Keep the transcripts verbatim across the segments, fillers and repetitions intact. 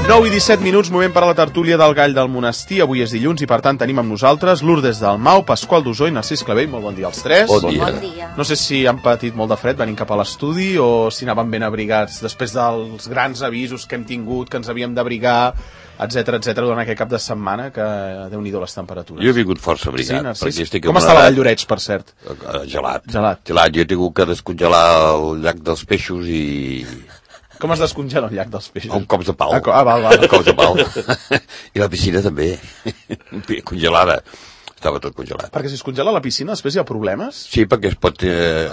nou i disset minuts, moment per a la tertúlia del Gall del Monestir. Avui és dilluns i, per tant, tenim amb nosaltres Lourdes Dalmau, Pasqual Dusó i Narcís Clavell. Molt bon dia als tres. Bon dia. Bon dia. No sé si han patit molt de fred venint cap a l'estudi o si anaven ben abrigats després dels grans avisos que hem tingut, que ens havíem d'abrigar, etcètera, etcètera, durant aquest cap de setmana, que déu-n'hi-do les temperatures. Jo he vingut força abrigat. Sí, perquè estic com amb està una... la de Llorets, per cert? Gelat. Gelat. Gelat. Jo he tingut que descongelar el llac dels peixos i... Com es descongela el llac dels peixos? Amb cops de pau. Ah, ah val, val. Amb cops de pau. I la piscina també. Congelada. Estava tot congelat. Perquè si es congela la piscina després hi ha problemes? Sí, perquè es pot... Eh,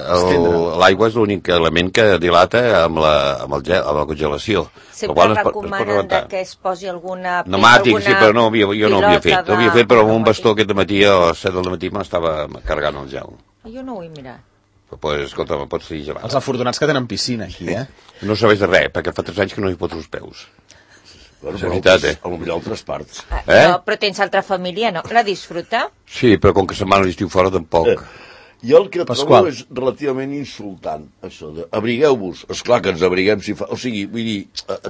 L'aigua és l'únic element que dilata amb la, amb el gel, amb la congelació. Sempre recomanen es que es posi alguna... Pneumàtic, sí, però no, jo, jo no ho havia fet. Ho havia fet, però amb un bastó aquest matí a les set del matí m'estava carregant el gel. Jo no ho he mirat. Però, pues, escolta, me pots dir gelat. Els afortunats que tenen piscina aquí, eh? No serveix de res, perquè fa tres anys que no hi poso els peus. Bueno, és veritat, eh? A lo millor altres parts. Ah, eh? No, però tens altra família, no? La disfruta? Sí, però com que se'n van a l'estiu fora, tampoc. Eh. Jo el que Pasqual. trobo és relativament insultant, això de abrigueu-vos. Esclar que ens abriguem si fa... O sigui, vull dir,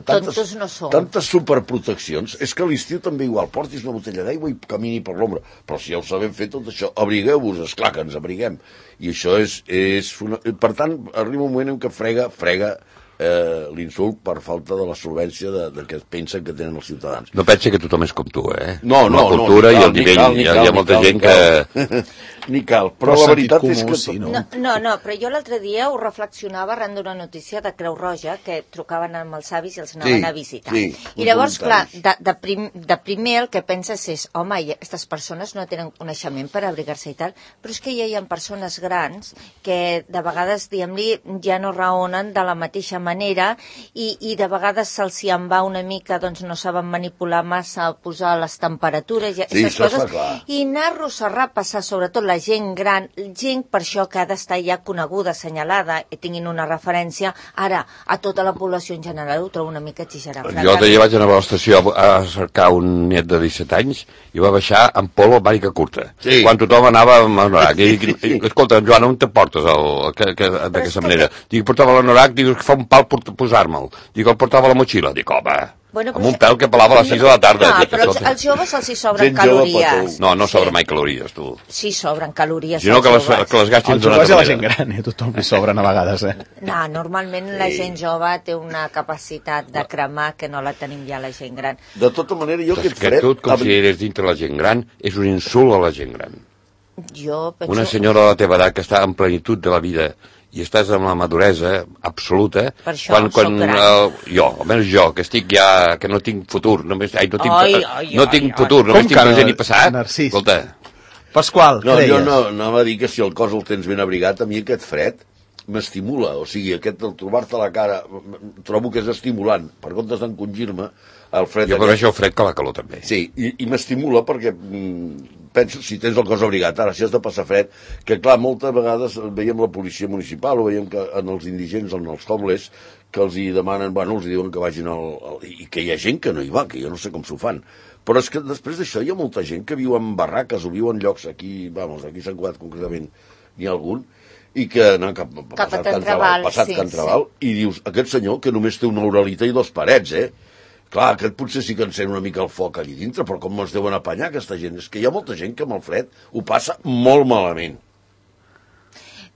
tantes, no tantes superproteccions. És que a l'estiu també igual, portis una botella d'aigua i camini per l'ombra. Però si ja ho sabem fer tot això, abrigueu-vos, esclar que ens abriguem. I això és... és una... Per tant, arriba un moment en què frega, frega eh, l'insult per falta de la solvència de, de que pensen que tenen els ciutadans. No pensa que tothom és com tu, eh? No, no, la cultura no, i el nivell. cal, hi ha, cal, hi ha molta cal, gent que... Ni cal, però, però la veritat comú, és que... Sí, no? No, no, no, però jo l'altre dia ho reflexionava arran d'una notícia de Creu Roja que trucaven amb els avis i els anaven Sí, a visitar. sí, I llavors, clar, voluntaris. de, de, prim, de primer el que penses és, home, aquestes persones no tenen coneixement per abrigar-se i tal, però és que ja hi ha persones grans que de vegades, diguem-li, ja no raonen de la mateixa manera i, i de vegades se'ls hi en va una mica, doncs no saben manipular massa, posar les temperatures, i Sí, aquestes això coses, està clar. i anar-los a repassar, sobretot la gent gran, gent per això que ha d'estar ja coneguda, assenyalada, i tinguin una referència, ara, a tota la població en general ho trobo una mica exagerat. Jo l'altre dia vaig anar a l'estació a cercar un net de disset anys i va baixar amb polo amb màniga curta. Sí. Quan tothom anava amb anorac. I dic, escolta, Joan, on te portes el, que, que, d'aquesta manera? Dic, portava l'anorac, dic, que fa un pal posar-me'l. Dic, el portava a la motxilla. Dic, home... Bueno, amb un pèl que pelava a les sis de la tarda. No, Dic, però els, escolta. als joves se'ls hi sobren Gent jove, calories. No, no sobra mai calories, tu. Sí, sobren calories. Si no, als que les, joves. que les gastin Els d'una joves i altra la gent manera. gran, eh? Tothom li sobren a vegades, eh? No, normalment la gent jove té una capacitat de cremar que no la tenim ja la gent gran. De tota manera, jo Que, aquest que fred... tu et consideres dintre la gent gran és un insult a la gent gran. Jo penso... Una senyora de la teva edat que està en plenitud de la vida i estàs amb la maduresa absoluta, Per això quan, quan soc gran. uh, jo, almenys jo, que estic ja, que no tinc futur, només, ai, no tinc, Ai, ai, ai, no ai, tinc ai. futur, només Com tinc que no, present i passat, Narcís? escolta, Pasqual, No, què jo deies? no, anava a dir que si el cos el tens ben abrigat, a mi aquest fred m'estimula, o sigui, aquest el trobar-te a la cara, trobo que és estimulant, per comptes d'encongir-me, el fred... jo aquest- prefereixo el fred que la calor també. Sí, i, i m'estimula perquè mm, penso, si tens el cos abrigat, ara si has de passar fred, que clar, moltes vegades veiem la policia municipal o veiem que en els indigents, en els homeless, que els hi demanen, bueno, els hi diuen que vagin al, al... i que hi ha gent que no hi va, que jo no sé com s'ho fan. Però és que després d'això hi ha molta gent que viu en barraques o viu en llocs aquí, vamos, aquí a Sant Cugat concretament, n'hi ha algun, i que no, cap, Cap a passat Can Can Traval, Traval, passat sí, Can Traval, i dius, aquest senyor que només té una oralita i dos parets, eh? Clar, aquest potser sí que encén una mica el foc allí dintre, però com es deuen apanyar aquesta gent? És que hi ha molta gent que amb el fred ho passa molt malament.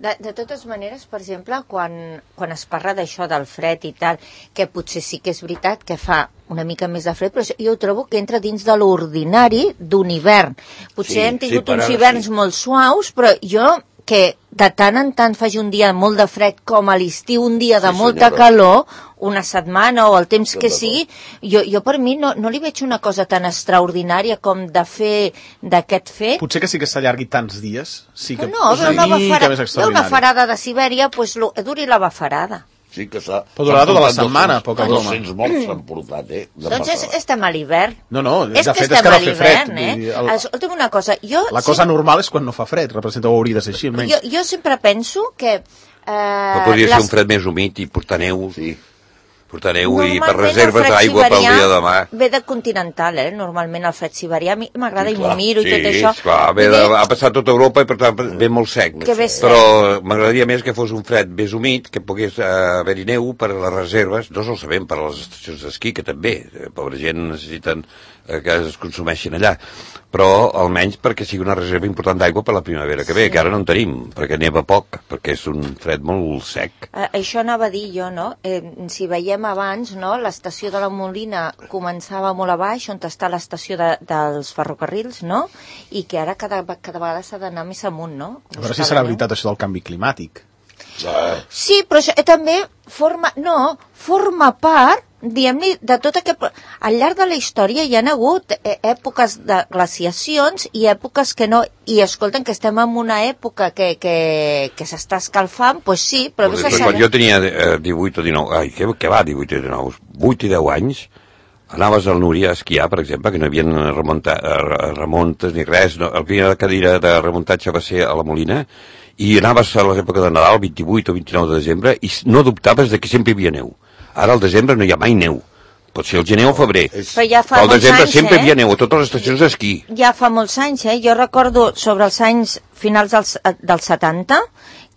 De, de totes maneres, per exemple, quan, quan es parla d'això del fred i tal, que potser sí que és veritat que fa una mica més de fred, però jo ho trobo que entra dins de l'ordinari d'un hivern. Potser Sí, hem tingut sí, per uns ara hiverns sí. molt suaus, però jo que de tant en tant faci un dia molt de fred com a l'estiu, un dia de Sí, molta senyora. calor, una setmana o el temps Estem que d'acord. sigui, jo, jo per mi no, no li veig una cosa tan extraordinària com de fer d'aquest fet. Potser que sí que s'allargui tants dies. Sí que No, és veu una, una mica bafara, més veu una extraordinari. farada de Sibèria, doncs lo, duri la bafarada. Sí que s'ha... Però durarà tota la s'han setmana, portat poca dos- broma. dos-cents morts s'han portat, eh? de Doncs és, passada. estem a l'hivern. No, no, de és fet que és que estem no a fer fred. l'hivern, Vull dir, eh? el- Escolta'm una cosa, jo... La cosa sí, normal és quan no fa fred, representa o hauria de ser així, almenys. jo, jo sempre penso que... Eh, Però podria les- ser un fred més humit i portar neu. Sí. portar neu i per reserves d'aigua pel dia de demà. Ve de continental, eh? Normalment el fred siberià, a mi m'agrada i m'ho miro sí, i tot això. Sí, clar, ve de, ha passat tota Europa i per tant ve molt sec. Que ve sec. Però m'agradaria més que fos un fred més humit, que pogués uh, haver-hi neu per a les reserves, no solament per a les estacions d'esquí, que també, eh, pobra gent necessiten eh, que es consumeixin allà, però almenys perquè sigui una reserva important d'aigua per la primavera que ve, sí. Que ara no en tenim, perquè neva poc, perquè és un fred molt sec. Uh, això anava a dir jo, no? Eh, si veiem abans, no? L'estació de la Molina començava molt a baix, on està l'estació de, dels ferrocarrils, no? I que ara cada, cada vegada s'ha d'anar més amunt, no? A veure si serà veritat això del canvi climàtic. Sí, però això, eh, també forma, no, forma part, diguem-li, de tot aquest... Al llarg de la història hi ha hagut eh, èpoques de glaciacions i èpoques que no... I escolten, que estem en una època que, que, que s'està escalfant, doncs pues sí, però... Pues després, quan jo tenia eh, divuit o dinou... Ai, què, què va, divuit o dinou? vuit i deu anys, anaves al Núria a esquiar, per exemple, que no hi havia remunta, remuntes ni res, no? La primera cadira de remuntatge va ser a la Molina, i anaves a l'època de Nadal, vint-i-vuit o vint-i-nou de desembre, i no dubtaves de que sempre hi havia neu. Ara al desembre no hi ha mai neu. Pot ser el gener o el febrer. Però ja fa al desembre anys, sempre eh? hi havia neu a totes les estacions d'esquí. Ja fa molts anys, eh? Jo recordo sobre els anys finals dels, dels setanta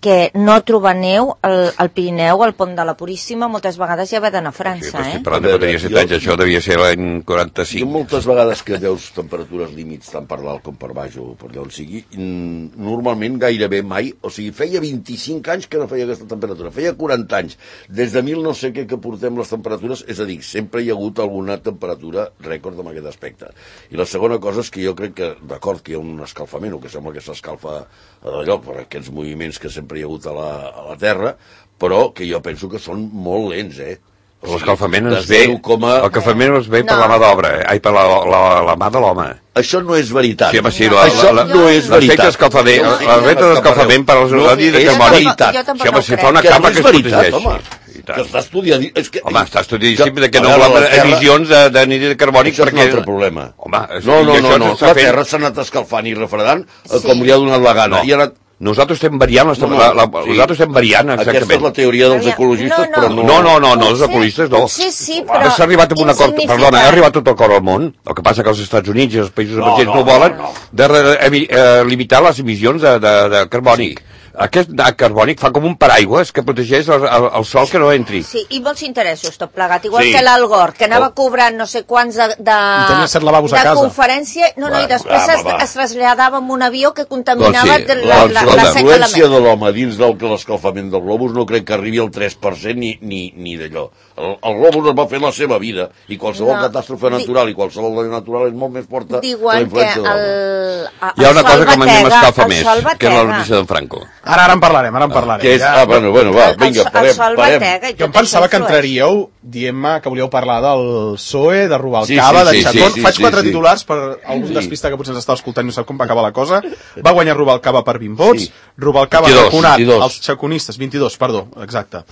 que no trobar neu al, al Pirineu, al Pont de la Puríssima, moltes vegades ja va d'anar a França, sí, eh? Sí, però no tenia set anys, això devia ser l'any quaranta-cinc. Jo moltes vegades que veus temperatures límits tant per dalt com per baix o per allà on sigui, normalment gairebé mai, o sigui, feia vint-i-cinc anys que no feia aquesta temperatura, feia quaranta anys, des de mil no sé què que portem les temperatures, és a dir, sempre hi ha hagut alguna temperatura rècord en aquest aspecte. I la segona cosa és que jo crec que, d'acord que hi ha un escalfament, o que sembla que s'escalfa d'allò, per aquests moviments que sempre hi ha hagut a la, a la Terra, però que jo penso que són molt lents, eh? O sigui, l'escalfament ens ve, coma... l'escalfament ens ve no. per la mà d'obra, eh? Ai, per la, la, la mà de l'home. Això no és veritat. Sí, home, sí, no. La, Això la, no és veritat. L'escalfament, l'efecte d'escalfament per als radis de carbònic. Sí, home, si fa una capa que es protegeix. Que està estudiant... És que... Home, està estudiant que, que no hi ha emissions de, de nit de carbònic això perquè... és un altre problema. Home, no, no, no, no. La Terra s'ha anat escalfant i refredant sí. com li ha donat la gana. No. I ara... Nosaltres estem variant, no, no, la, la, sí. nosaltres estem variant, exactament. Aquesta és la teoria dels ecologistes, no, no. però no... No, no, no, no, els ecologistes no. Sí, sí, però... S'ha arribat a un acord, perdona, ha arribat tot l'acord al món, el que passa que els Estats Units i els països no, emergents no, no volen, no, no. de re, eh, limitar les emissions de, de, de carbònic. Sí. Aquest carbònic fa com un paraigües que protegeix el, el, el sol que no entri. Sí, i molts interessos tot plegat. Igual sí. que l'Al Gore, que anava oh. cobrant no sé quants de, de, de conferència, no, no, i després va, va, va. es traslladava amb un avió que contaminava doncs sí. la, la, la, la seca de la influència de l'home dins del que l'escalfament del globus no crec que arribi al tres per cent ni, ni, ni d'allò. El, el globus es va fer la seva vida i qualsevol no, catàstrofe natural i qualsevol daño natural és molt més forta que la influència de l'home. Hi ha una cosa que a mi m'escalfa més, que és la notícia d'en Franco. Ara, ara en parlarem, ara en parlarem. Que és, ja. Ah, bueno, bueno, va, vinga, parem, parem. Jo em pensava que entraríeu dient-me que volíeu parlar del P S O E, de Rubalcaba, sí, sí, de Chacón. Sí, sí, Faig quatre sí, sí. titulars per algun sí. despista que potser ens està escoltant i no sap com va acabar la cosa. Va guanyar Rubalcaba per vint vots. Sí. Rubalcaba ha vacunat els chaconistes, vint-i-dos, perdó, exacte.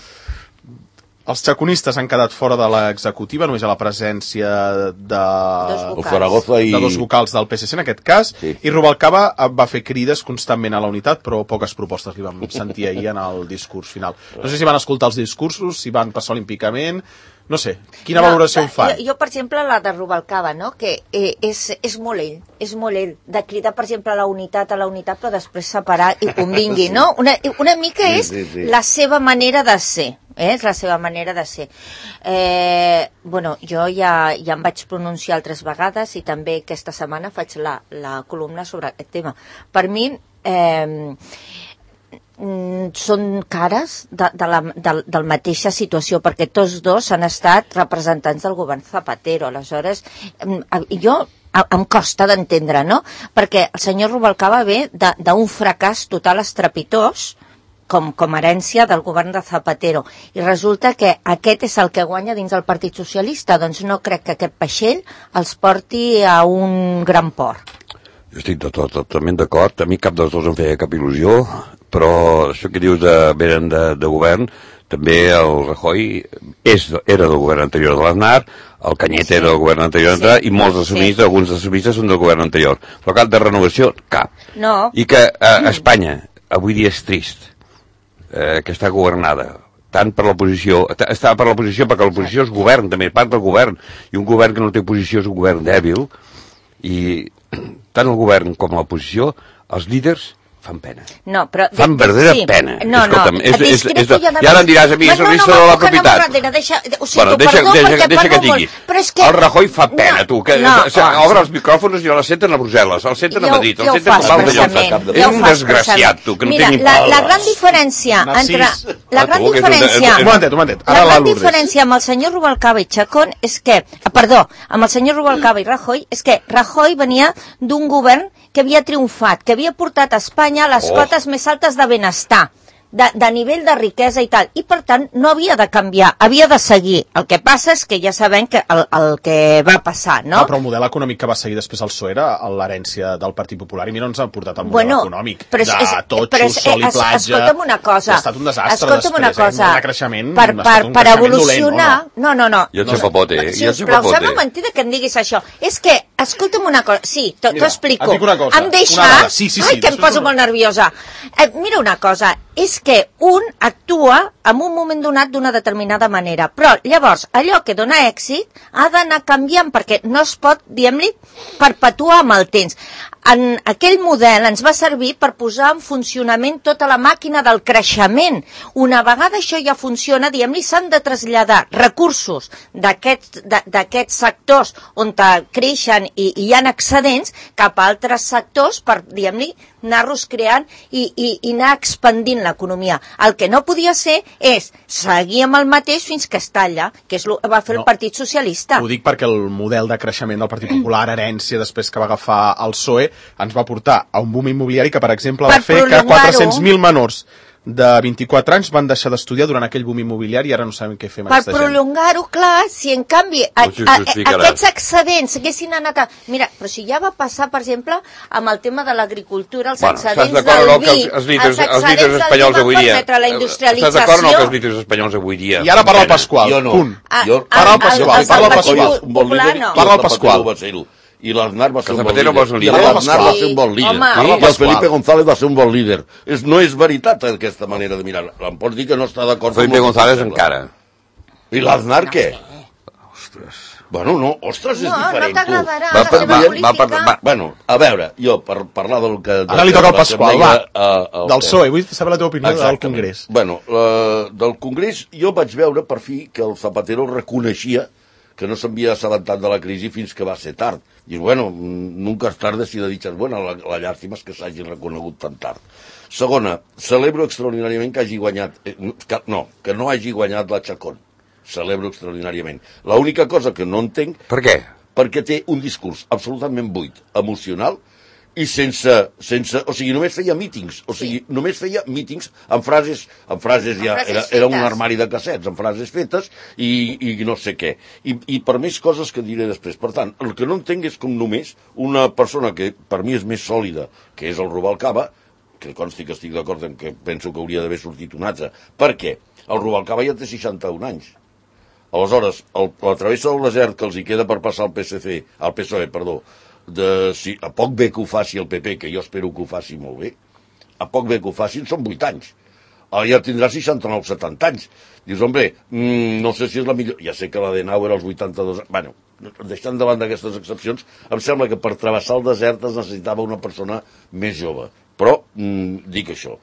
Els chaconistes han quedat fora de l'executiva, només a la presència de dos vocals, i... de dos vocals del P S C en aquest cas, sí. I Rubalcaba va fer crides constantment a la unitat, però poques propostes li vam sentir ahir en el discurs final. No sé si van escoltar els discursos, si van passar olímpicament... No sé, quina no, valoració en fan? Jo, jo, per exemple, la de Rubalcaba, no? que eh, és, és molt ell, és molt ell, de cridar, per exemple, a la unitat, a la unitat, però després separar i convingui, no? Una, una mica és sí, sí, sí. la seva manera de ser, eh? és la seva manera de ser. Eh, bueno, jo ja, ja em vaig pronunciar altres vegades i també aquesta setmana faig la, la columna sobre aquest tema. Per mi... Eh, són cares de, de la de, de la mateixa situació, perquè tots dos han estat representants del govern Zapatero. Aleshores, jo em costa d'entendre, no? Perquè el senyor Rubalcaba ve d'un fracàs total estrepitós com, com herència del govern de Zapatero, i resulta que aquest és el que guanya dins el Partit Socialista. Doncs no crec que aquest vaixell els porti a un gran port. Jo estic tot, tot, totalment d'acord. A mi cap dels dos em feia cap il·lusió, però això que dius de, venen de, de govern, també el Rajoy és, era del govern anterior de l'Aznar, el Cañete sí. era del govern anterior sí. i molts dels somistes, sí. alguns dels somistes són del govern anterior. Però cap de renovació, cap. No. I que eh, Espanya avui dia és trist, eh, que està governada tant per l'oposició, està per l'oposició perquè l'oposició és govern, també part del govern, i un govern que no té oposició és un govern dèbil, i tant el govern com l'oposició, els líders fan pena. No, però... Fan verdadera sí. pena. No, Escolta'm, no. És, és, és, és, I ara em diràs a mi, és el risc de la propietat. No, no, deixa, ho sento, bueno, deixa, perdó, deixa, perquè deixa que parlo digui. molt. Que... El Rajoy fa pena, no, tu. Que, no, o sigui, obre els micròfons i la senten a Brussel·les, els senten a Madrid, els senten a Palau de Llosa. És un desgraciat, tu, que no té ni pal. La gran diferència entre... La gran diferència... Un momentet, un momentet. La gran diferència amb el senyor Rubalcaba i Chacón és que... Perdó, amb el senyor Rubalcaba i Rajoy és que Rajoy venia d'un govern que havia triomfat, que havia portat a Espanya a les oh. cotes més altes de benestar, de, de nivell de riquesa i tal, i per tant no havia de canviar, havia de seguir. El que passa és que ja sabem que el, el que va passar, no? Ah, però el model econòmic que va seguir després el P S O E era l'herència del Partit Popular, i mira on ens ha portat el model bueno, econòmic, és, de totxo, és, sol i platja. Es, escolta'm una cosa. Ha estat un desastre escolta'm després, una cosa. eh? Un creixement, per, per, un per creixement evolucionar... dolent, no, no, no. Jo ets no, papote, eh? Si us plau, sembla mentida que em diguis això. És que, escolta'm una cosa, sí, t'ho explico. Et dic una cosa. Em deixa... Sí, sí, sí, ai, que em poso molt nerviosa. Eh, mira una cosa, és que un actua en un moment donat d'una determinada manera, però llavors allò que dona èxit ha d'anar canviant perquè no es pot, diguem-li, perpetuar amb el temps. En aquell model ens va servir per posar en funcionament tota la màquina del creixement. Una vegada això ja funciona, diguem-li, s'han de traslladar recursos d'aquests sectors on creixen i, i hi ha excedents cap a altres sectors per, diguem-li, anar-los creant i, i, i anar expandint l'economia. El que no podia ser és seguir amb el mateix fins que es talla, que és el que va fer no, el Partit Socialista. Ho dic perquè el model de creixement del Partit Popular, herència, després que va agafar el P S O E, ens va portar a un boom immobiliari que, per exemple, va fer que quatre-cents mil menors de vint-i-quatre anys van deixar d'estudiar durant aquell boom immobiliari i ara no sabem què fer amb per aquesta gent. Per prolongar-ho, clar, si en canvi a, a, a, aquests excedents haguessin anat a... Mira, però si ja va passar, per exemple, amb el tema de l'agricultura, els bueno, excedents del vi, els, els, líders, els excedents els del vi van permetre la industrialització... Estàs d'acord o no que els líders espanyols avui dia... I ara parla el Pasqual, jo no. punt. Jo, parla el Pasqual, parla el Pasqual. Parla el Pasqual. I l'Aznar va ser un bon líder. I l'Aznar va ser un bon líder. I el Felipe González va ser un bon líder. No és veritat aquesta manera de mirar. Em pots dir que no està d'acord... Felipe González encara. I l'Aznar què? Ostres. Bueno, no, ostres, és diferent. No, no t'agradarà la seva política. Bueno, a veure, jo, per parlar del que... Ara li toca al Pasqual, va, del P S O E. Vull saber la teva opinió del Congrés. Bueno, del Congrés jo vaig veure per fi que el Zapatero reconeixia que no s'havia assabentat de la crisi fins que va ser tard. I, bueno, nunca és tarde si de dichas buenas, la, la llàstima és que s'hagi reconegut tan tard. Segona, celebro extraordinàriament que hagi guanyat... Eh, que, no, que no hagi guanyat la Chacón. Celebro extraordinàriament. L'única cosa que no entenc... Per què? Perquè té un discurs absolutament buit, emocional, i sense, sense, o sigui, només feia mítings, o sigui, sí. només feia mítings amb frases, amb frases ja, era, era un armari de cassets, amb frases fetes i, i no sé què. I, I per més coses que diré després. Per tant, el que no entenc és com només una persona que per mi és més sòlida, que és el Rubalcaba, que consti que estic d'acord en que penso que hauria d'haver sortit un altre. Per què? El Rubalcaba ja té seixanta-un anys. Aleshores, el, la travessa del desert que els hi queda per passar al P S C, al P S O E, perdó, de, si, a poc bé que ho faci el P P, que jo espero que ho faci molt bé, a poc bé que ho facin són vuit anys. Ara ja tindrà seixanta-nou setanta anys. Dius, home, mmm, no sé si és la millor... Ja sé que la de Nau era als vuitanta-dos anys. Bueno, deixant davant d'aquestes excepcions, em sembla que per travessar el desert es necessitava una persona més jove. Però, mmm, dic això.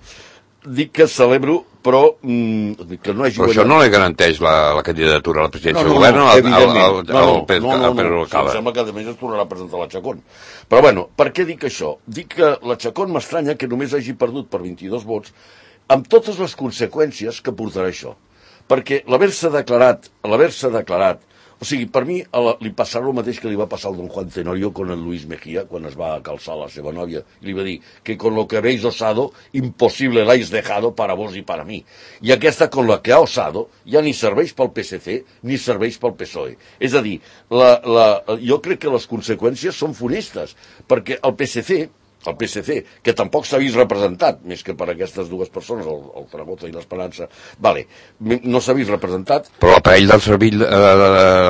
Dic que celebro, però mm, que no hagi però això no li garanteix la, la candidatura a la presidència no, no, del govern no, al, evidentment. al, al, no, no, al, no, no, no, no. Em sembla que a més es tornarà a presentar la Chacón. Però bueno, per què dic això? Dic que la Chacón m'estranya que només hagi perdut per vint-i-dos vots amb totes les conseqüències que portarà això. Perquè l'haver-se declarat, l'haver-se declarat, o sigui, per mi li passarà el mateix que li va passar al don Juan Tenorio con el Luis Mejía quan es va calçar la seva nòvia. I li va dir que con lo que habéis osado, imposible l'hais dejado para vos y para mí. I aquesta, con la que ha osado, ja ni serveix pel P S C ni serveix pel P S O E. És a dir, la, la, jo crec que les conseqüències són funestes, perquè el P S C, el P S C, que tampoc s'ha vist representat, més que per aquestes dues persones, el, el Zaragoza i l'Esperança, vale, no s'ha vist representat. Però l'aparell del servil, eh,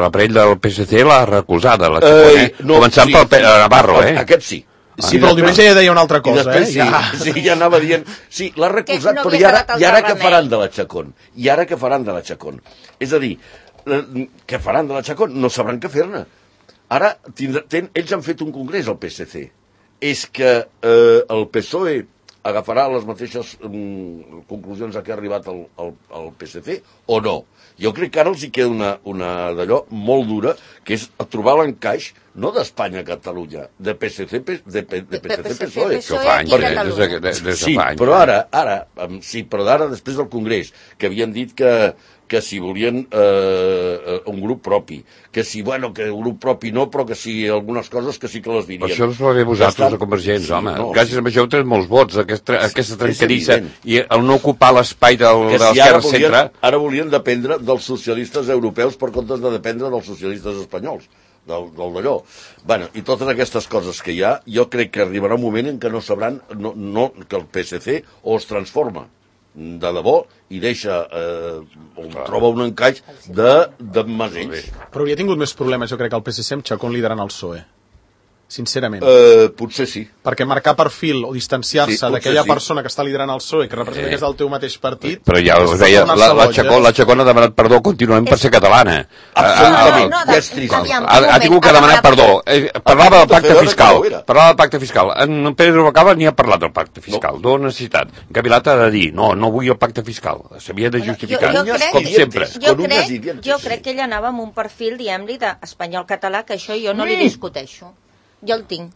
l'aparell del P S C l'ha recolzada, la Chacón, eh? No, començant sí, pel Navarro, eh? Aquest sí. Sí, però el diumenge ja deia una altra cosa, després, eh? Ja. Sí, sí, ja anava dient... Sí, l'ha recolzat, no però i ara, i ara què remei. faran de la Chacón? I ara què faran de la Chacón? És a dir, què faran de la Chacón? No sabran què fer-ne. Ara, tindrà, ten, ells han fet un congrés, al P S C. És que eh, el P S O E agafarà les mateixes um, conclusions a què ha arribat el, el, el P S C o no? Jo crec que ara els hi queda una, una d'allò molt dura, que és trobar l'encaix no d'Espanya a Catalunya, de P S C, de, de, de P S C, P S O E. Això fa anys, eh? Des de, des de sí, fa anys. però ara, ara, sí, però d'ara, després del Congrés, que havien dit que, que si volien eh, un grup propi, que si, bueno, que un grup propi no, però que si algunes coses que sí que les dirien. Per això us va bé vosaltres de Convergents, sí, home. No, gràcies sí. a això heu tret molts vots, aquesta, aquesta trencadissa, i el no ocupar l'espai del, de l'esquerra si centre... Ara volien dependre dels socialistes europeus per comptes de dependre dels socialistes espanyols, del, del d'allò. Bueno, i totes aquestes coses que hi ha, jo crec que arribarà un moment en què no sabran no, no, que el P S C o es transforma de debò i deixa, eh, on troba un encaix de, de masells. Però hauria tingut més problemes, jo crec, que el P S C amb Chacón liderant el P S O E. Sincerament. Eh, potser sí. Perquè marcar perfil o distanciar-se sí, d'aquella sí. persona que està liderant el P S O E, que representa eh. que és del teu mateix partit... Però ja us deia, la, la, Chacón, la Chacón ha demanat perdó continuem per ser catalana. Absolutament. No, no, ja és trist. aviam, Ha, ha tingut que demanar perdó. Eh, parlava del pacte fiscal. Parlava del pacte fiscal. En Pedro Rubalcaba ni ha parlat del pacte fiscal. No. No necessitat. Gavilat ha de dir, no, no vull el pacte fiscal. S'havia de justificar. Jo, jo crec, com sempre. Jo crec, jo crec que ell anava amb un perfil, diguem-li, d'espanyol-català, que això jo no li discuteixo. Jo el tinc.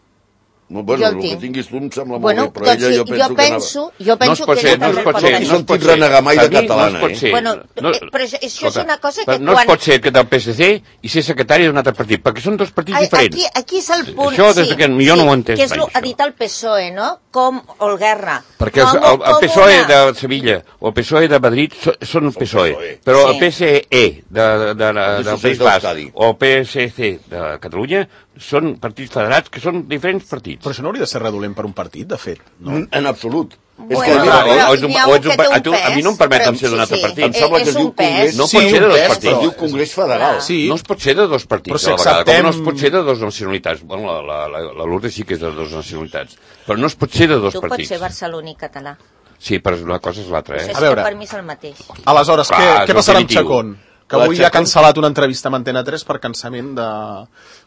No, bueno, jo el, el que tinguis tu em sembla bueno, molt bé, però ella jo penso, jo penso que jo penso no que ser, ella no també pot pot ser, tenir. No es pot renegar mai de catalana, no es pot ser. Eh? Bueno, no, però això és escolta, una cosa que no quan... es pot ser que del P S C i ser secretari d'un altre partit, perquè són dos partits aquí, diferents. aquí és el punt, això des que jo sí, no ho entenc que és mai, ha dit el P S O E, no? Com el Guerra. Perquè com, el, el P S O E de Sevilla o el P S O E de Madrid són el P S O E, però el P S E de, de, de, del País Basc o el P S C de Catalunya són partits federats que són diferents partits. Però això no hauria de ser redolent per un partit, de fet, no? En absolut. Bueno, és que, no, o, o, o, o, o, a, tu, a mi no em permeten ser d'un altre sí, partit. Em sembla que es diu Congrés. No pot ser de dos partits. Es diu Congrés Federal. Sí. No es pot ser de dos partits però si a la vegada. acceptem... Com no es pot ser de dos nacionalitats. Bueno, la, la, la Lourdes sí que és de dos nacionalitats. Però no es pot ser de dos tu partits. Tu pots ser barceloní català. Sí, però una cosa és l'altra, eh? A veure. Per mi és el mateix. Aleshores, Clar, què, què passarà amb Chacón? Que avui Chacón... ha cancel·lat una entrevista amb Antena tres per cansament de,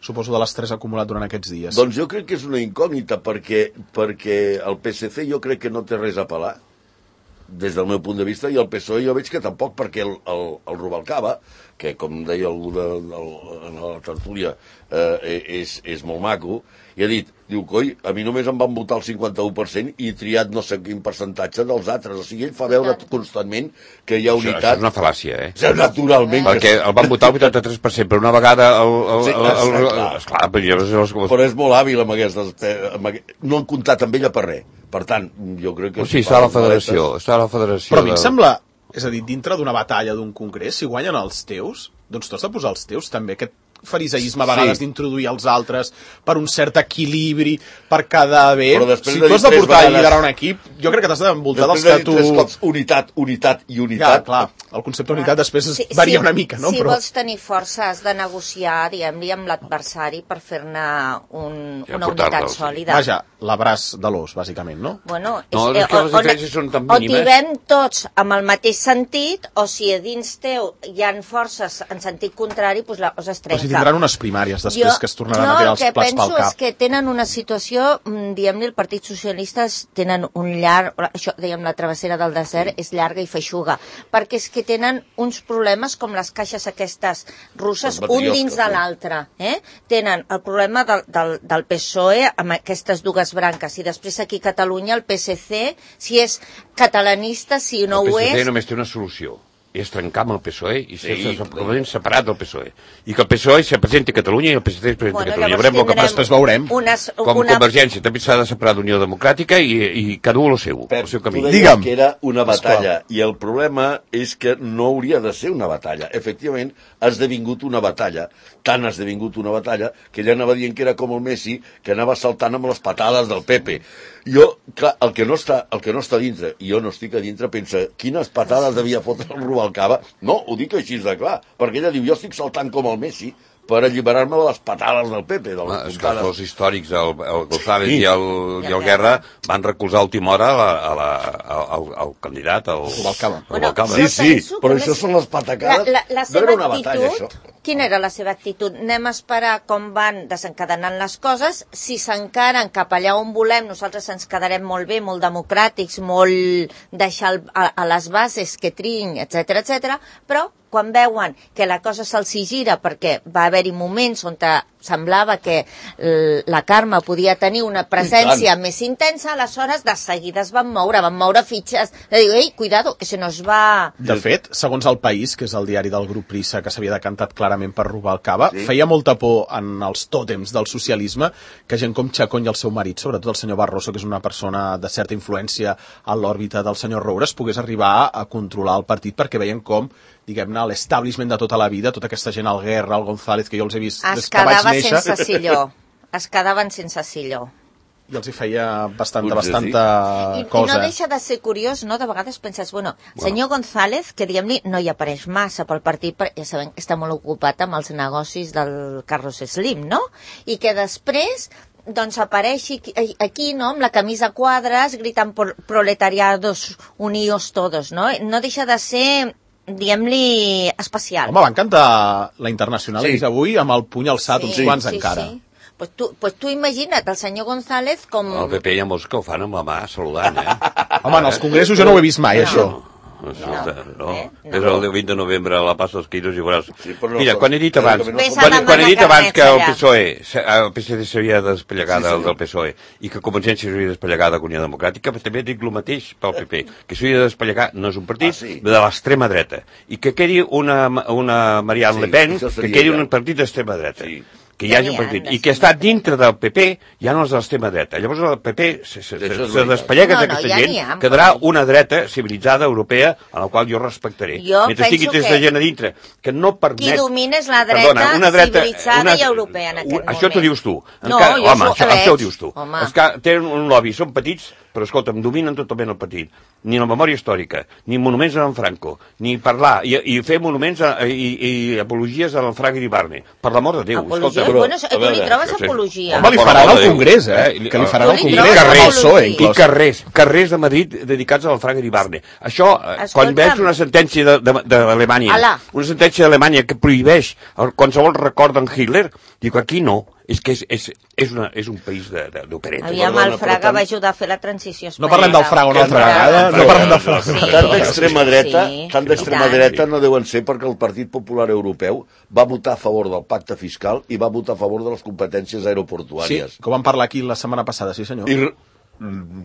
suposo, de l'estrès acumulat durant aquests dies. Doncs jo crec que és una incògnita, perquè, perquè el P S C jo crec que no té res a pelar, des del meu punt de vista, i el P S O E jo veig que tampoc, perquè el, el, el Rubalcaba, que com deia algú de, de, de la tertúlia, eh, és, és molt maco, i ha dit, diu, coi, a mi només em van votar el cinquanta-u per cent i he triat no sé quin percentatge dels altres. O sigui, ell fa veure constantment que hi ha unitat. Això, això és una fal·làcia, eh? Ja, naturalment. Perquè el van votar el vuitanta-tres per cent, però una vegada... El, el, sí, el, el, el, esclar. esclar, però, però és molt hàbil amb aquestes... Amb aquest... No han comptat amb ella per res. Per tant, jo crec que... O sigui, està a la federació. Està a la federació però a mi em de... sembla... És a dir, dintre d'una batalla d'un congrés, si guanyen els teus, doncs tu has de posar els teus també. Aquest fariseisme a vegades sí. d'introduir els altres per un cert equilibri, per quedar bé. Si tu has de portar vegades... i liderar un equip, jo crec que t'has d'envoltar dels que tu... Després de dir tres cops unitat, unitat i unitat... Ja, clar, el concepte d'unitat després sí, varia sí, una mica, no? Si però... vols tenir força has de negociar, diguem-li, amb l'adversari per fer-ne un, ja, una unitat sòlida. Vaja, l'abraç de l'os, bàsicament, no? Bueno, és, no, eh, que les diferències són tan mínimes. O tibem tots amb el mateix sentit, o si a dins teu hi ha forces en sentit contrari, doncs la cosa es trenca. Però si tindran unes primàries després jo, que es tornaran no, a tirar els plats pel cap. No, el que penso és que tenen una situació, diguem-ne, el Partit Socialista tenen un llarg, això, diguem, la travessera del desert és llarga i feixuga, perquè és que tenen uns problemes com les caixes aquestes russes, un dins de l'altre. Eh? Tenen el problema del, del, del P S O E amb aquestes dues branques, i després aquí a Catalunya el P S C, si és catalanista, si no ho és... El P S C només té una solució, és trencar amb el P S O E i ser sí, separat del P S O E. I que el P S O E se presenti a Catalunya i el P S C es presenti bueno, a Catalunya. Veurem el que després veurem. Unes, Com una... Convergència també s'ha de separar d'Unió Democràtica i, i cada un el seu, Pep, el seu camí. Tu deies que era una batalla i el problema és que no hauria de ser una batalla. Efectivament, ha esdevingut una batalla, tant ha esdevingut una batalla que ella anava dient que era com el Messi, que anava saltant amb les patades del Pepe. Jo, clar, el que no està, el que no està dintre, i jo no estic a dintre, pensa, quines patades devia fotre el Rubalcaba? No, ho dic així de clar, perquè ella diu, jo estic saltant com el Messi, per alliberar-me de les patades del P P. Ah, és que els històrics, el, el González sí. i, el, i el Guerra, van recolzar a última hora la, a la, a, al, al candidat, el Rubalcaba. Bueno, sí, sí, però això són les patacades. La, la, la no era una actitud, batalla, això. Quina era la seva actitud? Anem a esperar com van desencadenant les coses. Si s'encaren cap allà on volem, nosaltres ens quedarem molt bé, molt democràtics, molt deixar a, a les bases que triïn, etcètera, etcètera, però quan veuen que la cosa se'ls gira, perquè va haver-hi moments on semblava que la Carme podia tenir una presència més intensa, aleshores de seguida es van moure, van moure fitxes, de dir, ei, cuidado, que se nos va... De fet, segons El País, que és el diari del grup Prisa, que s'havia decantat clarament per Rubalcaba, sí. feia molta por en els tòtems del socialisme que gent com Chacón i el seu marit, sobretot el senyor Barroso, que és una persona de certa influència a l'òrbita del senyor Roures, pogués arribar a controlar el partit, perquè veien com, diguem-ne, l'establishment de tota la vida, tota aquesta gent, el Guerra, el González, que jo els he vist es des que vaig néixer... Es quedava sense silló. Es quedaven sense silló. I els hi feia bastanta, bastanta I, cosa. I no deixa de ser curiós, no? De vegades penses, bueno, bueno. senyor González, que diguem-li, no hi apareix massa pel partit, però ja sabem que està molt ocupat amb els negocis del Carlos Slim, no? I que després... doncs apareixi aquí, no?, amb la camisa a quadres, gritant proletariados unidos todos, no? No deixa de ser, diguem-li, especial. Home, van cantar la Internacional sí. avui amb el puny alçat, sí, uns quants sí, encara. Sí. Pues tu, pues tu imagina't el senyor González com... El P P hi ha molts que ho fan amb la mà, saludant, eh? Home, en els congressos jo no ho he vist mai, no. això. No, no, no. Eh? no. És el vint de novembre a la Passa dels Quiros i veuràs... Sí, no, Mira, quan he dit abans, quan, quan he dit abans que el P S O E, el P S D s'havia despellegat sí, sí. del P S O E i que Convergència s'havia despellegat de Unió Democràtica, també dic el mateix pel P P, que s'havia de despellegar, no és un partit, ah, sí. de l'extrema dreta, i que quedi una, una Marianne sí, Le Pen, que quedi un partit d'extrema dreta. Sí. que hi hagi un partit, i que està dintre del P P hi ha els de l'extrema dreta. Llavors el P P se, se, se, se despellega no, no, d'aquesta ja gent, ha, quedarà una dreta civilitzada europea a la qual jo respectaré. Jo Mentre estigui aquesta gent a dintre, que no permet... Qui domina és la dreta, perdona, una dreta civilitzada una, i europea en aquest un, moment. Això t'ho dius tu. No, Encara, jo home, això, això ho dius tu. Home. Els que tenen un lobby, són petits, però escolta'm, dominen totalment el partit. Ni la memòria històrica, ni monuments a en Franco, ni parlar, i, i fer monuments a, i, i apologies a en Frank Iribarne. Per l'amor de Déu, apologia? escolta. Bueno, tu li trobes apologia. Home, li faran al Congrés, eh? Que li faran al Congrés. Carrers, i carrers, carrers de Madrid dedicats al Frank Iribarne. Això, quan veig una sentència d'Alemanya, una sentència d'Alemanya que prohibeix qualsevol record d'en Hitler, dic, aquí no. És que és, és, és, una, és un país d'opereta. Aviam, el Fraga va ajudar a fer la transició espanyola. No parlem del Fraga una altra vegada. No parlem del Fraga. Sí. Tant d'extrema dreta, sí, tant d'extrema dreta no deuen ser perquè el Partit Popular Europeu va votar a favor del pacte fiscal i va votar a favor de les competències aeroportuàries. Sí, que ho vam parlar aquí la setmana passada, sí senyor. I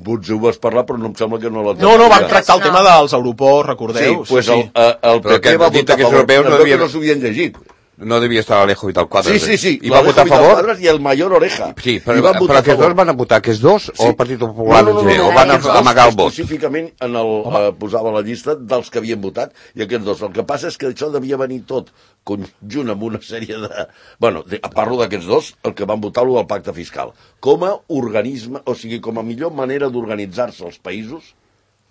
potser ho vas parlar, però no em sembla que no la... No, no, vam tractar el tema dels aeroports, recordeu? Sí, pues el, el P P va votar a favor, no que no s'havien llegit. No devia estar Alejo i tal Quadras. Sí, sí, sí. I va votar a favor? I el Mayor Oreja. Sí, però, però aquests dos van a votar, aquests dos, sí. O el Partit Popular, no, no, no, no, o van a amagar el vot? Específicament en el, eh, posava la llista dels que havien votat, i aquests dos. El que passa és que això devia venir tot conjunt amb una sèrie de... Bueno, de, parlo d'aquests dos, el que van votar lo del pacte fiscal. Com a organisme, o sigui, com a millor manera d'organitzar-se els països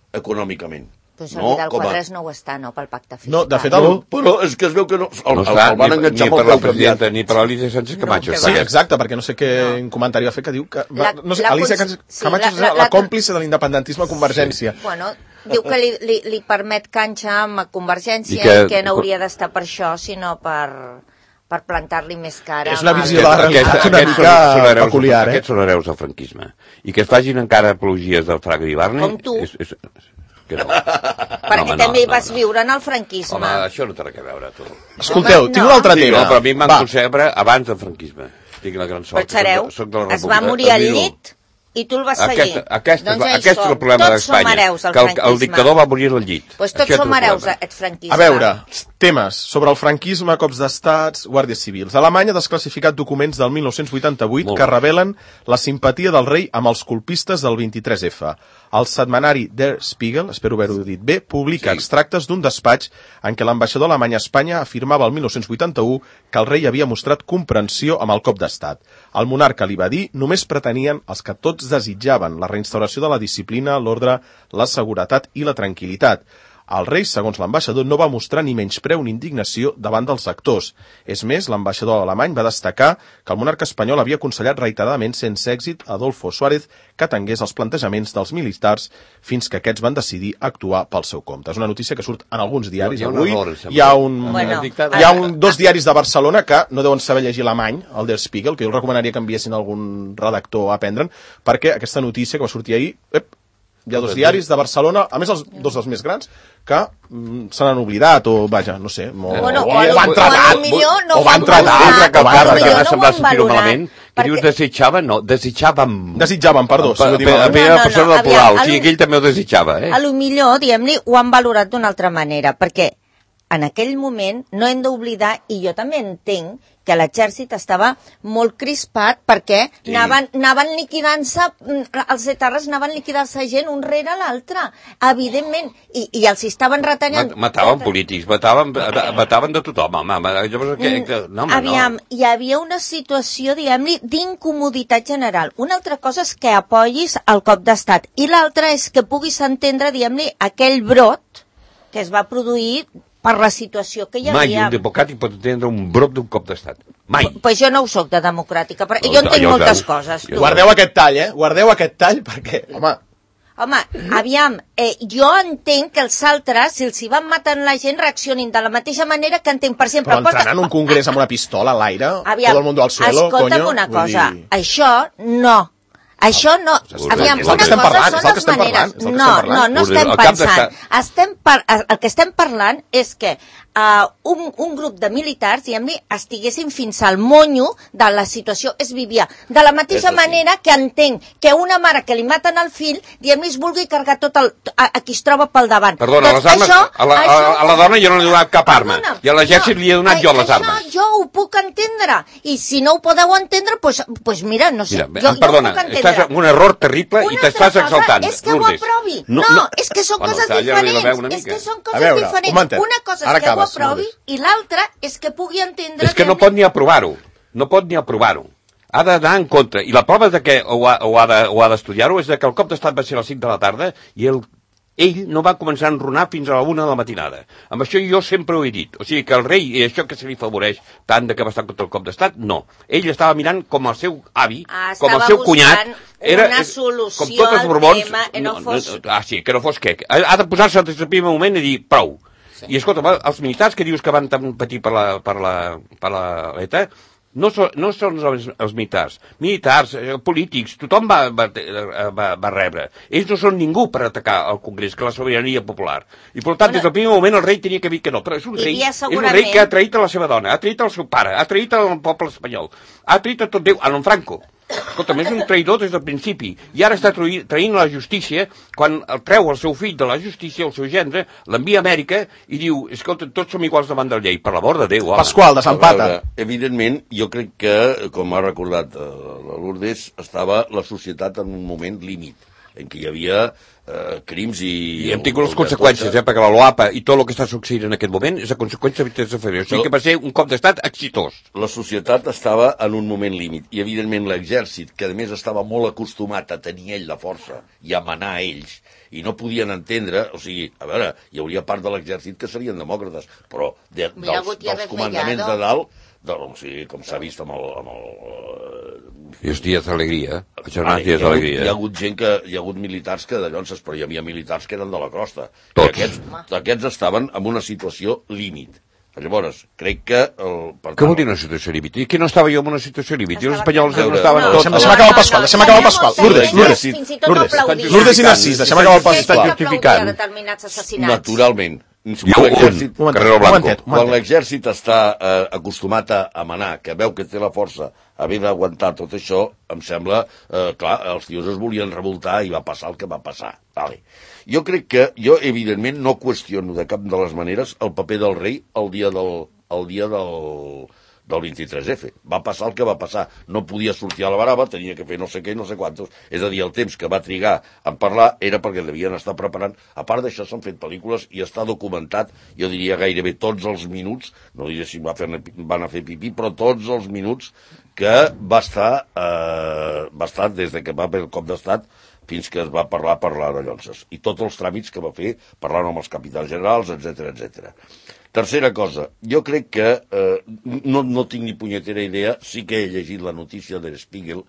econòmicament. Pues el no, Vidal Quadras a... no ho està, no, pel pacte fiscal. No, de fet, el... no, però és que es veu que no... El, no està, el van enganxar ni, ni per la presidenta, ni per l'Alicia Sánchez Camacho. No, sí, exacte, perquè no sé què no. comentari va fer que diu que... Va, no sé, Alicia Sánchez Camacho és la, la, la còmplice de l'independentisme a Convergència. Sí. Bueno, diu que li, li, li permet canxa amb Convergència i que, i que no hauria d'estar per això, sinó per... per plantar-li més cara. És una visió de la realitat una mica peculiar, eh? Aquests són hereus del franquisme. I que es facin encara apologies del Fraga Iribarne... Com tu. És, és, que no. Perquè no, també no, vas no, viure en el franquisme. Home, això no té res a veure, tu. Escolteu, home, tinc un altre tema. No, però a mi em van concebre abans del franquisme. Tinc la gran sort. Però sereu, soc de la es va morir al llit i tu el vas seguir. Aquesta, aquesta, doncs aquest és el problema d'Espanya, que el, el dictador va morir al llit. Pues tots som hereus d'aquest franquisme. A veure, temes sobre el franquisme, cops d'estats, guàrdies civils. Alemanya ha desclassificat documents del mil nou-cents vuitanta-vuit que revelen la simpatia del rei amb els colpistes del vint-i-tres efa. El setmanari Der Spiegel, espero haver-ho dit bé, publica sí. extractes d'un despatx en què l'ambaixador alemany a Espanya afirmava el mil nou-cents vuitanta-u que el rei havia mostrat comprensió amb el cop d'estat. El monarca li va dir només pretenien els que tots desitjaven la reinstauració de la disciplina, l'ordre, la seguretat i la tranquil·litat. El rei, segons l'ambaixador, no va mostrar ni menyspreu ni indignació davant dels actors. És més, l'ambaixador alemany va destacar que el monarca espanyol havia aconsellat reiteradament sense èxit a Adolfo Suárez que atengués els plantejaments dels militars fins que aquests van decidir actuar pel seu compte. És una notícia que surt en alguns diaris avui. Hi ha, un, bueno, hi ha un, dos diaris de Barcelona que no deuen saber llegir alemany, el Der Spiegel, que jo recomanaria que enviessin algun redactor a aprendre'n, perquè aquesta notícia que va sortir ahir... Ep, hi ha dos diaris de Barcelona, a més els dos dels més grans, que mm, se n'han oblidat, o vaja, no sé, o, bueno, o, o, o van tratar, no o van tratar, que m'ha semblat sentir-ho malament, que dius desitjaven, no, desitjàvem. Desitjaven, perdó. A primera persona del plural, o sigui que ell també ho desitjava, eh? A lo millor, diguem-li, ho han valorat d'una altra manera, perquè en aquell moment no hem d'oblidar, i jo també entenc, que l'exèrcit estava molt crispat perquè sí. anaven, anaven liquidant-se, els etarres anaven liquidant-se gent un rere l'altre, evidentment, i, i els estaven retallant. Mataven polítics, mataven, mataven de tothom, home. Llavors, que, que, no, home, Aviam, no. hi havia una situació, diguem-li, d'incomoditat general. Una altra cosa és que apoyis el cop d'estat, i l'altra és que puguis entendre, diguem-li, aquell brot que es va produir per la situació que hi havia. Mai un democràtic pot entendre un brot d'un cop d'estat. Mai. P pues jo no ho soc de democràtica, però jo entenc jo moltes coses. Tu. Guardeu aquest tall, eh? Guardeu aquest tall perquè, home... Home, aviam, eh, jo entenc que els altres, si els hi van matant la gent, reaccionin de la mateixa manera que entenc, per exemple... Però entrant en un congrés amb una pistola a l'aire, aviam, tot el mundo al suelo, escolta'm coño... una cosa, dir... això no... Això no... Aviam, una cosa parlant, són les maneres. No, no, no estem pensant. Estem par el que estem parlant és que uh, un, un grup de militars, diguem-li, estiguessin fins al monyo de la situació. Es vivia de la mateixa manera que entenc que una mare que li maten el fill, diguem-li, es vulgui carregar tot el, a, a qui es troba pel davant. Perdona, doncs les armes, això, a, la, a, a la dona jo no li he donat cap arma. Perdona, i a l'exèrcit no, li he donat jo les armes. Això jo ho puc entendre. I si no ho podeu entendre, doncs pues, pues mira, no sé. Mira, jo, perdona, jo ho puc entendre. Estàs en un error terrible una i t'estàs exaltant. És que Lourdes. ho aprovi. No, no, no, és que són bueno, coses diferents. És que són coses veure, diferents. Un una cosa és Ara que acabes, ho aprovi Lourdes. I l'altra és que pugui entendre... És que no pot ni aprovar-ho. No pot ni aprovar-ho. Ha d'anar en contra. I la prova de que ho ha, ho ha d'estudiar-ho és de que el cop d'estat va ser a les cinc de la tarda i el ell no va començar a enronar fins a la una de la matinada. Amb això jo sempre ho he dit. O sigui que el rei, i això que se li favoreix tant de que va estar contra el cop d'estat, no. Ell estava mirant com el seu avi, ah, com el seu cunyat, era una solució com tots els borbons, tema, que no, no fos... No, ah, sí, que no fos què. Ha, ha de posar-se des del primer moment i dir prou. Sí. I escolta, els militars que dius que van tan patir per la, per la, per la l'E T A, no, so, no són els, els militars, militars, eh, polítics, tothom va, va, va, va rebre. Ells no són ningú per atacar el Congrés, que la sobirania popular. I per tant, bueno, des del primer moment el rei tenia que dir que no, però és un rei, segurament... és un rei que ha traït a la seva dona, ha traït al seu pare, ha traït al poble espanyol, ha traït a tot Déu, a l'en Franco. Escolta, és un traïdor des del principi, i ara està traint la justícia, quan el treu el seu fill de la justícia, el seu gendre, l'envia a Amèrica i diu, escolta, tots som iguals davant de la llei, per l'amor de Déu, home. Pasqual, de Sant Pata. Evidentment, jo crec que, com ha recordat la Lourdes, estava la societat en un moment límit, en què hi havia eh, crims i... I hem tingut les conseqüències, eh, perquè la LOAPA i tot el que està succeint en aquest moment és a conseqüència de Vitesse de Ferrer. O sigui que va ser un cop d'estat exitós. La societat estava en un moment límit, i evidentment l'exèrcit, que a més estava molt acostumat a tenir ell la força i a manar a ells, i no podien entendre, o sigui, a veure, hi hauria part de l'exèrcit que serien demòcrates, però de, dels, dels comandaments de dalt, de, o sigui, com s'ha vist amb el... Amb el I els dies d'alegria, els jornals dies d'alegria. Hi ha hagut gent que, hi ha hagut militars que d'allò, però hi havia militars que eren de la crosta. Tots. I aquests, aquests estaven en una situació límit. Llavors, crec que... El, per Què vol dir una situació límit? I que no estava jo en una situació límit? I els espanyols no estaven no, tots... Deixem, deixem acabar el Pasqual, deixem acabar el Pasqual. Lourdes, Lourdes, Lourdes, Lourdes i Narcís, deixem acabar el Pasqual. Està justificant. Naturalment. Quan l'exèrcit està eh, acostumat a, a manar, que veu que té la força, haver d'aguantar tot això, em sembla, eh, clar, els tios es volien revoltar i va passar el que va passar. Vale. Jo crec que, jo evidentment no qüestiono de cap de les maneres el paper del rei el dia del, el dia del, del vint-i-tres efe. Va passar el que va passar. No podia sortir a la baraba, tenia que fer no sé què, no sé quantos. És a dir, el temps que va trigar a parlar era perquè devien estar preparant. A part d'això, s'han fet pel·lícules i està documentat, jo diria gairebé tots els minuts, no diré si va fer, van a fer pipí, però tots els minuts que va estar, eh, va estar des de que va haver el cop d'estat fins que es va parlar per l'Arellonses. I tots els tràmits que va fer, parlant amb els capitals generals, etcètera, etcètera. Tercera cosa, jo crec que eh, no, no tinc ni punyetera idea, sí que he llegit la notícia de Spiegel,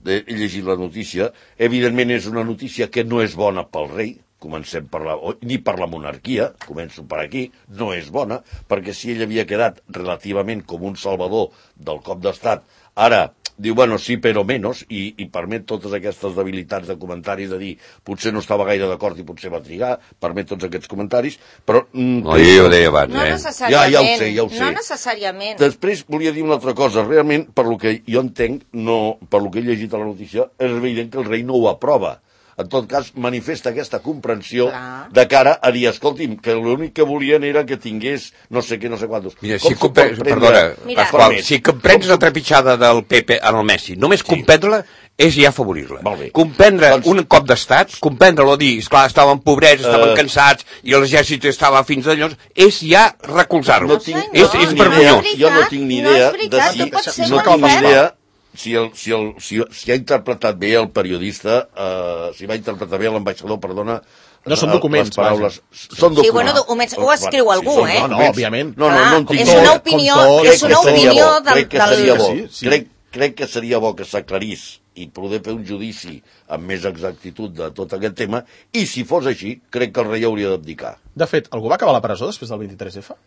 he llegit la notícia, evidentment és una notícia que no és bona pel rei, comencem per la, ni per la monarquia, començo per aquí, no és bona, perquè si ell havia quedat relativament com un salvador del cop d'estat, ara diu, bueno, sí, però menys, i, i permet totes aquestes debilitats de comentaris de dir, potser no estava gaire d'acord i potser va trigar, permet tots aquests comentaris, però... Mm, no, jo ho deia abans, no eh? necessàriament, ja, ja ho sé, ja ho sé. No necessàriament. Després volia dir una altra cosa, realment, per lo que jo entenc, no, per lo que he llegit a la notícia, és evident que el rei no ho aprova. En tot cas, manifesta aquesta comprensió Clar. de cara a dir, escolti'm, que l'únic que volien era que tingués no sé què, no sé quantos. Mira, si, compre... Perdona, Mira. Pasqual, si comprens la trepitjada del Pepe en el Messi, només sí. comprendre-la és ja afavorir-la. Comprendre doncs... un cop d'estat, comprendre-lo, dir, esclar, estaven pobrets, estaven uh... cansats, i l'exèrcit estava fins a llocs, és ja recolzar-lo. No tinc, és, no, és vergonyós. Jo no tinc ni idea no de si... No tinc ni idea Si, el, si, el, si, si ha interpretat bé el periodista, eh, si va interpretar bé l'ambaixador, perdona... No són documents, les paraules. Són documents. Sí, bueno, documents, ho escriu algú, sí, eh? No, no, òbviament. No, no, no en tinc és una opinió, és una opinió del... Crec que seria bo, sí, sí. crec, crec que seria bo que s'aclarís i poder fer un judici amb més exactitud de tot aquest tema, i si fos així, crec que el rei hauria d'abdicar. De fet, algú va acabar a la presó després del vint-i-tres efa?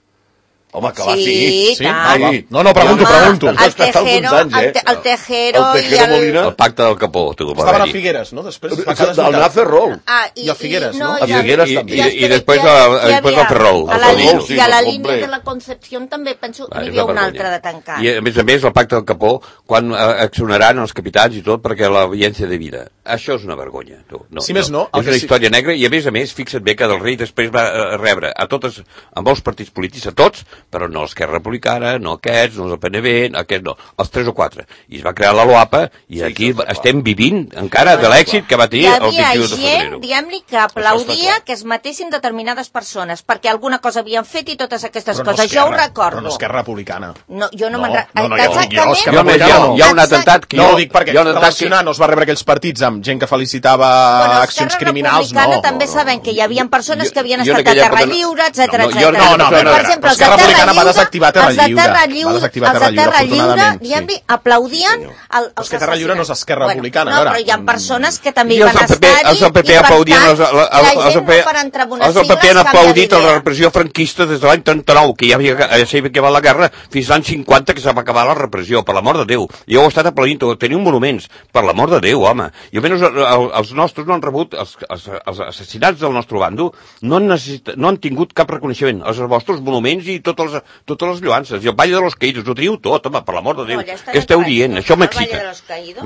Home, que va, sí. Sí, sí. Ah, no, no, pregunto, Home, pregunto. El Tejero, anys, eh? el, te, el Tejero, el Tejero i el... Molina. El pacte del Capó. Estaven a Figueres, no? Després va quedar del Nafer Roll. Ah, i, I a Figueres, i, no? no? A Figueres també. I, i, i després el Ferrol. A la, línia, sí, I a la no, línia de la Concepció també penso que n'hi havia una altra de tancar. I a més a més el pacte del Capó, quan accionaran els capitans i tot perquè l'audiència de vida. Això és una vergonya. Tu. No, si més no... És una història negra i a més a més, fixa't bé que del rei després va rebre a totes, a molts partits polítics, a tots, però no l'Esquerra Republicana, no aquests, no el P N V, aquests no, els tres o quatre. I es va crear la LOAPA i aquí sí, estem vivint encara de l'èxit que va tenir el vint-i-u de febrer. Hi havia gent, diguem-li, que aplaudia que es matessin determinades persones perquè alguna cosa havien fet i totes aquestes però coses. No jo ho recordo. Però no Esquerra Republicana. No, jo no, no me'n recordo. No, no, jo, exactament. Jo, Esquerra Republicana no. Hi ha un atemptat que no jo... ho dic perquè relacionar no es va rebre aquells partits amb gent que felicitava bueno, accions criminals, no. Esquerra també sabem que hi havia persones que havien estat a Terra Lliure, etcètera, etcètera. No, no, per exemple, Esquerra Republicana va desactivar Terra Lliure. Els de Terra Lliure, diguem-li, aplaudien... Els que Terra Lliure no és Esquerra Republicana, no, però hi ha persones que també hi van estar-hi i, per tant, la gent no per entrar en unes sigles... Els del P P han aplaudit la repressió franquista des de l'any trenta-nou, que ja havia acabat la guerra, fins l'any cinquanta, que se va acabar la repressió, per l'amor de Déu. Jo ho he estat aplaudint, teniu monuments, per l'amor de Déu, home. I almenys els nostres no han rebut, els, els, els assassinats del nostre bando no han, necessit, no han tingut cap reconeixement. Els vostres monuments i totes les, totes les lloances. I el Valle de los Caídos, ho teniu tot, home, per l'amor de Déu. No, què esteu dient? Això m'excita.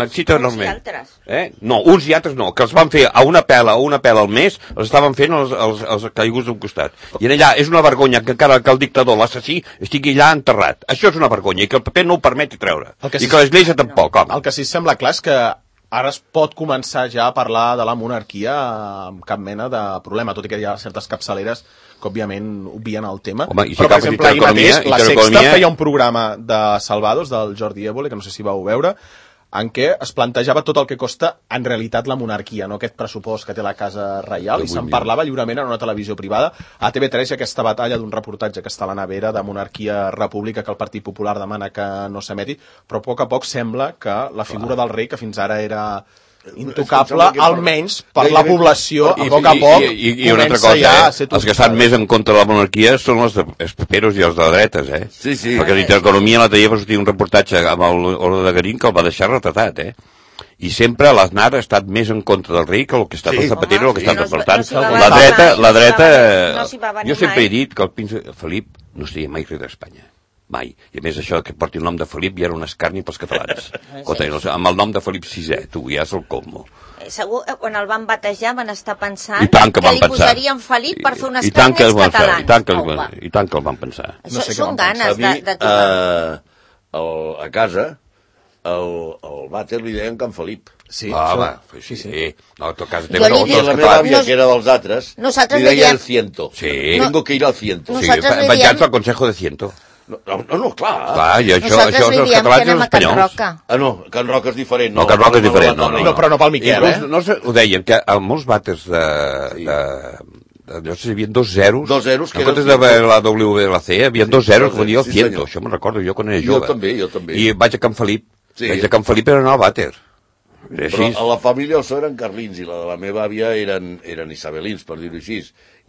M'excita enormement. Eh? No, uns i altres no, que els van fer a una pela o una pela al mes, els estaven fent els, els, els caiguts d'un costat. I allà és una vergonya que encara que el dictador, l'assassí, estigui allà enterrat. Això és una vergonya, i que el paper no ho permeti treure. Que I sí, que l'Església tampoc, home. El que sí sembla clar és que ara es pot començar ja a parlar de la monarquia amb cap mena de problema, tot i que hi ha certes capçaleres que òbviament obvien el tema. Home, si però per exemple ahir mateix la Sexta feia un programa de Salvados del Jordi Évole, que no sé si vau veure, en què es plantejava tot el que costa en realitat la monarquia, no aquest pressupost que té la Casa Reial, i se'n parlava lliurement en una televisió privada. A T V tres hi ha aquesta batalla d'un reportatge que està a la nevera de monarquia-república que el Partit Popular demana que no s'emeti, però a poc a poc sembla que la figura del rei, que fins ara era intocable, almenys per la població, a poc a poc, i, i, i una altra cosa, ja eh? Els que estan més en contra de la monarquia són els, de, els paperos i els de dretes, eh? Sí, sí. Perquè l'Intereconomia l'altre dia va sortir un reportatge amb l'Orde de Garín que el va deixar retratat, eh? I sempre l'Aznar ha estat més en contra del rei que el que ha estat sí. el Zapatero, el que ha estat el Pertant. La dreta, la dreta... Jo sempre he dit que el príncep Felip no seria mai rei d'Espanya. Mai. I a més això que porti el nom de Felip ja era un escarni pels catalans. Sí. Amb el nom de Felip sisè, tu, ja és el colmo. Segur, quan el van batejar van estar pensant que, que li pensar. posarien Felip per fer un escarni als catalans. I tant que, oh, i tant que el van pensar. Això no sé són ganes de, de tothom. Uh, a casa, el, el vàter li deien Can Felip. Sí, ah, va, sí, sí. sí. No, en tot cas, jo li dic, la meva àvia, que era dels altres, nosaltres li deia diem... el ciento. Sí. Tengo que ir al ciento. Sí, penjats al Consejo de Ciento. No, no, no, clar. Clar, i això, això els catalans i els espanyols. Ah, no, Can Roca és diferent. No, Can Roca és diferent, no, no. No, però no pel Miquel, eh? No, ho deien, que a molts vàters de... Llavors hi havia dos zeros. Dos zeros. En comptes de la W B la C, hi havia dos zeros, que volia el ciento. Això me'n recordo, jo quan era jove. Jo també, jo també. I vaig a Can Felip. Vaig a Can Felip per anar al vàter. Però a la família Ossó eren carlins i la de la meva àvia eren, eren isabelins, per dir-ho així.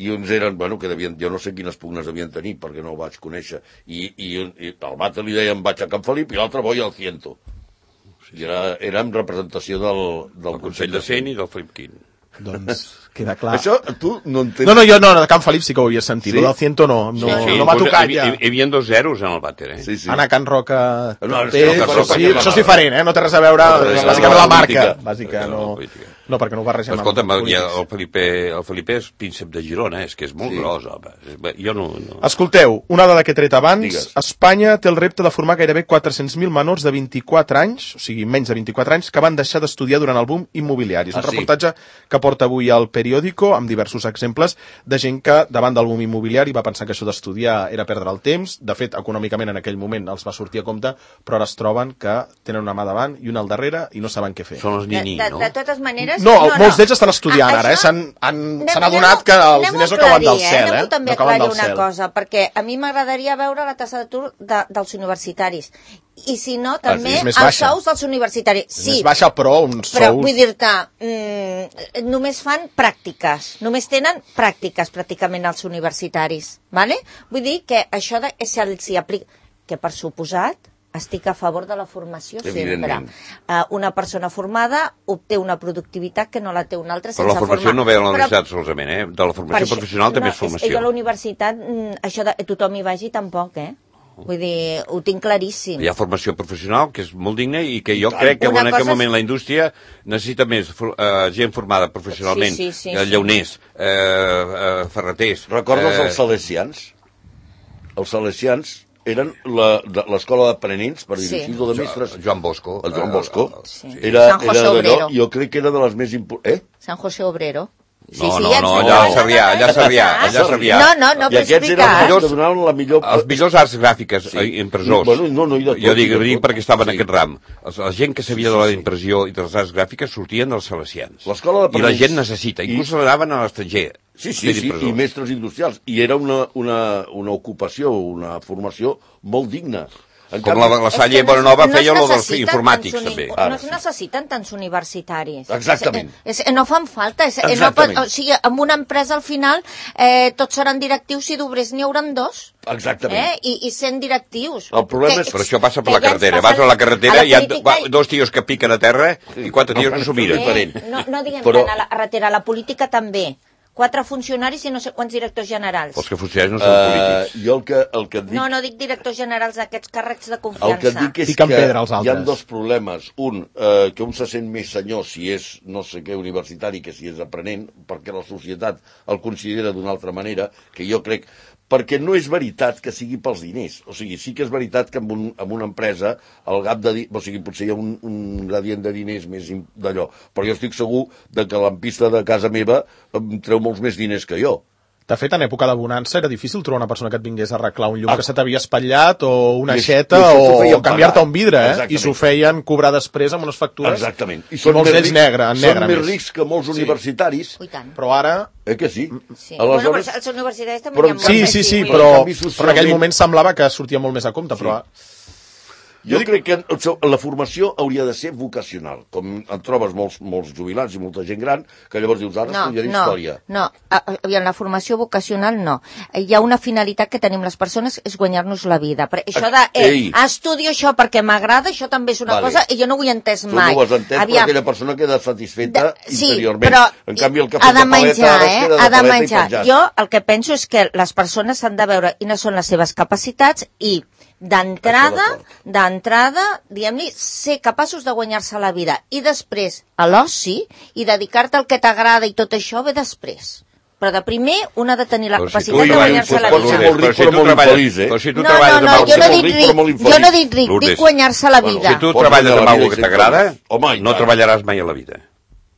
I uns eren, bueno, que devien, jo no sé quines pugnes devien tenir, perquè no ho vaig conèixer. I, i, i al vàter li deien vaig a Can Felip i l'altre voy al ciento. I era, era en representació del, del Consell de Cent i del Felip quint. Doncs queda clar. Això tu no entens... No, no, jo no, de Can Felip sí que ho havia sentit. Sí? El del ciento no, no, sí, sí. no m'ha tocat ja. Hi havia dos zeros en el vàter, eh? Sí, sí. Anar a Can Roca... No, té, no, però sí, això és diferent, eh? No té res a veure, no, bàsicament la marca. Bàsica, no... No, perquè no ho barregem amb escolta'm, ja, el, Felipe, el Felipe és príncep de Girona, és que és molt sí. gros, home. Jo no, no... Escolteu, una dada que he tret abans, Digues. Espanya té el repte de formar gairebé quatre-cents mil menors de vint-i-quatre anys, o sigui, menys de vint-i-quatre anys, que van deixar d'estudiar durant el boom immobiliari. És un ah, reportatge sí. que porta avui al Periódico, amb diversos exemples de gent que, davant del boom immobiliari, va pensar que això d'estudiar era perdre el temps. De fet, econòmicament en aquell moment els va sortir a compte, però ara es troben que tenen una mà davant i una al darrere i no saben què fer. Són els nini, de, de, no? De totes maneres... No, no, no. molts d'ells estan estudiant ah, ara, eh? S'han adonat que els diners no cauen del cel, eh? Anem-ho també a aclarir una cosa, perquè a mi m'agradaria veure la tassa d'atur de, dels universitaris. I si no, també els sous dels universitaris. Sí, més baixa, però uns sous... Però vull dir-te, mm, només fan pràctiques, només tenen pràctiques pràcticament els universitaris, ¿vale? Vull dir que això de, se'ls aplica, que per suposat estic a favor de la formació sempre. Uh, una persona formada obté una productivitat que no la té una altra sense formar. Però la formació formar. No ve a la universitat però... solament, eh? De la formació això, professional no, també és formació. Jo a la universitat, això de tothom hi vagi tampoc, eh? Vull dir, ho tinc claríssim. Hi ha formació professional, que és molt digna, i que jo crec que en aquest moment la indústria necessita més uh, gent formada professionalment, sí, sí, sí, uh, llauners, uh, uh, ferreters... Recordes uh, els salesians? Els salesians eren l'escola d'aprenents, per dir-ho així, o de mestres... Joan Bosco. El Joan Bosco. Sí. Era, era d'allò, jo crec que era de les més importants... Eh? San José Obrero. Sí, no, sí, no, no, allà a Sarrià, allà a Sarrià, allà a Sarrià. No, no, no, I aquests eren els que donaven la millor... Els millors arts gràfiques sí. impressors. Bueno, no, no, tot, jo dic, dic perquè estava en sí. aquest ram. La gent que sabia de la impressió i de les arts gràfiques sortien dels salesians. I la gent necessita, inclús I... l'anaven a l'estranger. Sí, sí, sí, i mestres industrials. I era una, una, una ocupació, una formació molt digna. En Com canvi, la, la Salle no, Bonanova no feia el dels informàtics, uni... també. No es necessiten tants universitaris. Exactament. És, és, no fan falta. És, no pot, o sigui, en una empresa al final eh, tots seran directius i d'obrers n'hi hauran dos. Exactament. Eh? I, I sent directius. El problema és... Però això passa per la carretera. Vas a la carretera i hi ha política... dos tios que piquen a terra i quatre tios que s'ho miren. Eh, no, no diguem Però... tant a la carretera, a la política també. Quatre funcionaris i no sé quants directors generals. Els que funcionaris no són uh, polítics. Jo el que, el que et dic... No, no dic directors generals d'aquests càrrecs de confiança. El que et dic és Piquen que hi ha dos problemes. Un, eh, que un se sent més senyor si és no sé què universitari que si és aprenent, perquè la societat el considera d'una altra manera, que jo crec... Perquè no és veritat que sigui pels diners. O sigui, sí que és veritat que en, un, en una empresa el gap de... O sigui, potser hi ha un, un gradient de diners més d'allò. Però jo estic segur de que l'ampista de casa meva em treu molts més diners que jo. De fet, en època de bonança era difícil trobar una persona que et vingués a arreglar un llum ah. que se t'havia espatllat o una aixeta o, o canviar-te un vidre, eh? Exactament. I s'ho feien cobrar després amb unes factures. Exactament. I són molts d'ells negre, en negre. Són més rics que molts sí. universitaris. Però ara... Eh que sí? sí. Aleshores... Bueno, però els universitaris també però, hi ha sí, sí, sí, però, però en aquell moment semblava que sortia molt més a compte, però... Sí. Jo crec que la formació hauria de ser vocacional, com en trobes molts, molts jubilats i molta gent gran, que llavors dius, ara no, estudiaré no, història. No, no, en la formació vocacional no. Hi ha una finalitat que tenim les persones, és guanyar-nos la vida. Però això de, eh, estudio això perquè m'agrada, això també és una vale. cosa, i jo no ho he entès mai. Tu no ho has entès, Aviam. però aquella persona queda satisfeta de, sí, interiorment. Però en canvi, el cafè de, de paleta menjar, eh? queda de ha de paleta menjar. i penjat. Jo el que penso és que les persones han de veure quines són les seves capacitats i d'entrada, d'entrada, diguem-li, ser capaços de guanyar-se la vida. I després, a l'oci, i dedicar-te al que t'agrada i tot això ve després. Però de primer, un ha de tenir la capacitat de guanyar-se la vida. Però si tu treballes, però si tu no, treballes no, no, jo no dic ric, jo no dic ric, dic guanyar-se la vida. Si tu treballes amb alguna que t'agrada, no treballaràs mai a la vida.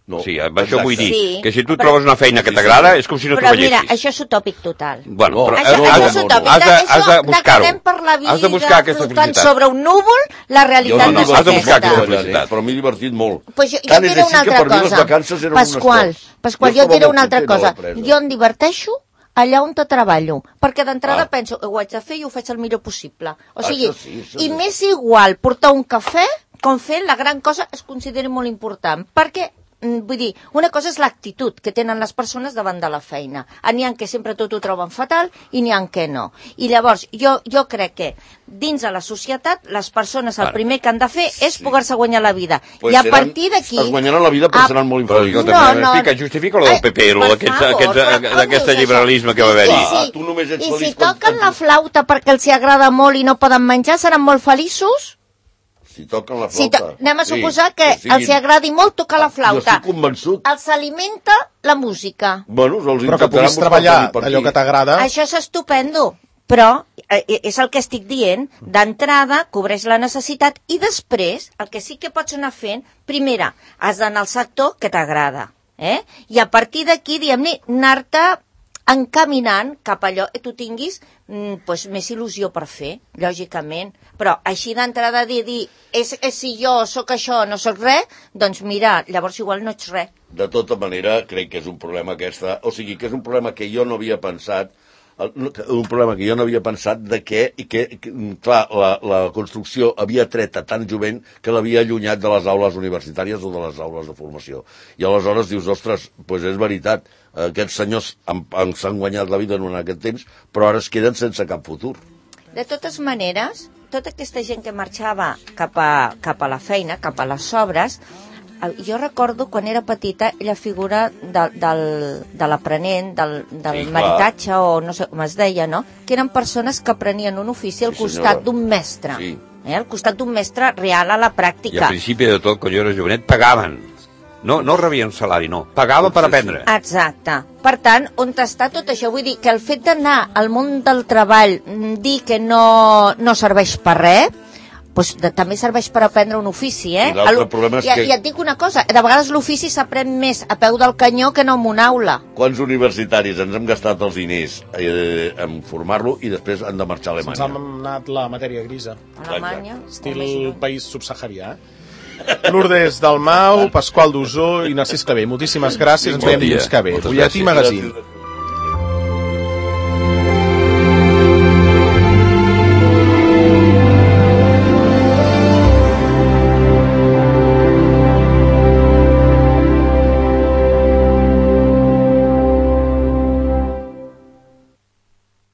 No, sí, això vull dir, sí, que si tu però, trobes una feina que t'agrada, és com si no treballessis. Però mira, això és utòpic total. Bueno, però això, no, això no, és utòpic. Has de, has de buscar-ho. De per la vida, has de buscar aquesta felicitat. Sobre un núvol, la realitat no, no, no és has de buscar aquesta felicitat. Però m'he divertit molt. Pues jo, jo diré una altra cosa. Pasqual, Pasqual, jo diré una altra cosa. Jo em diverteixo allà on te treballo, perquè d'entrada ah. penso, ho haig de fer i ho faig el millor possible. O sigui, ah, sí, i m'és igual portar un cafè com fer la gran cosa es consideri molt important, perquè vull dir, una cosa és l'actitud que tenen les persones davant de la feina. N'hi ha que sempre tot ho troben fatal i n'hi ha que no. I llavors, jo, jo crec que dins de la societat, les persones el primer que han de fer és sí. poder-se guanyar la vida. Pues I a partir d'aquí... Es guanyaran la vida però a... seran molt infeliços. No, no, no. Justifica lo del P P, lo d'aquest liberalisme que va haver-hi. I si, ah, i si toquen la flauta perquè els agrada molt i no poden menjar, seran molt feliços? Si toquen la flauta... Si to... Anem a suposar sí, que siguin... els agradi molt tocar la flauta. Jo estic convençut. Els alimenta la música. Bueno, els però que puguis treballar allò que t'agrada... Això és estupendo, però eh, és el que estic dient. D'entrada, cobreix la necessitat i després, el que sí que pots anar fent, primera, has d'anar al sector que t'agrada. Eh? I a partir d'aquí, diguem-ne, anar-te encaminant cap a allò que tu tinguis mm, pues, més il·lusió per fer, lògicament. Però així d'entrada dir, dir és, és si jo sóc això, no sóc res, doncs mira, llavors igual no ets res. De tota manera, crec que és un problema aquesta, o sigui, que és un problema que jo no havia pensat, un problema que jo no havia pensat de que, i que, que clar, la, la construcció havia tret a tant jovent que l'havia allunyat de les aules universitàries o de les aules de formació. I aleshores dius, ostres, doncs és veritat, aquests senyors s'han guanyat la vida en aquest temps, però ara es queden sense cap futur. De totes maneres, tota aquesta gent que marxava cap a, cap a la feina, cap a les obres, jo recordo quan era petita la figura de, del, de l'aprenent, del, del sí, maritatge o no sé com es deia, no? Que eren persones que aprenien un ofici al sí, costat d'un mestre, sí. eh? Al costat d'un mestre real a la pràctica. I al principi de tot, quan jo era jovenet, pagaven. No, no rebien salari, no. Pagava per aprendre. Exacte. Per tant, on està tot això? Vull dir que el fet d'anar al món del treball, dir que no, no serveix per res, doncs de, també serveix per aprendre un ofici, eh? I l'altre problema és I, que... I et dic una cosa, de vegades l'ofici s'aprèn més a peu del canyó que no en una aula. Quants universitaris ens hem gastat els diners eh, en formar-lo i després han de marxar a Alemanya? Se'ns ha anat la matèria grisa. Alemanya? Estil país subsaharià, eh? Lourdes Dalmau, Pasqual Dusó i Narcís Clavé. Moltíssimes gràcies, ens veiem dilluns que ve. Butlletí Magazine.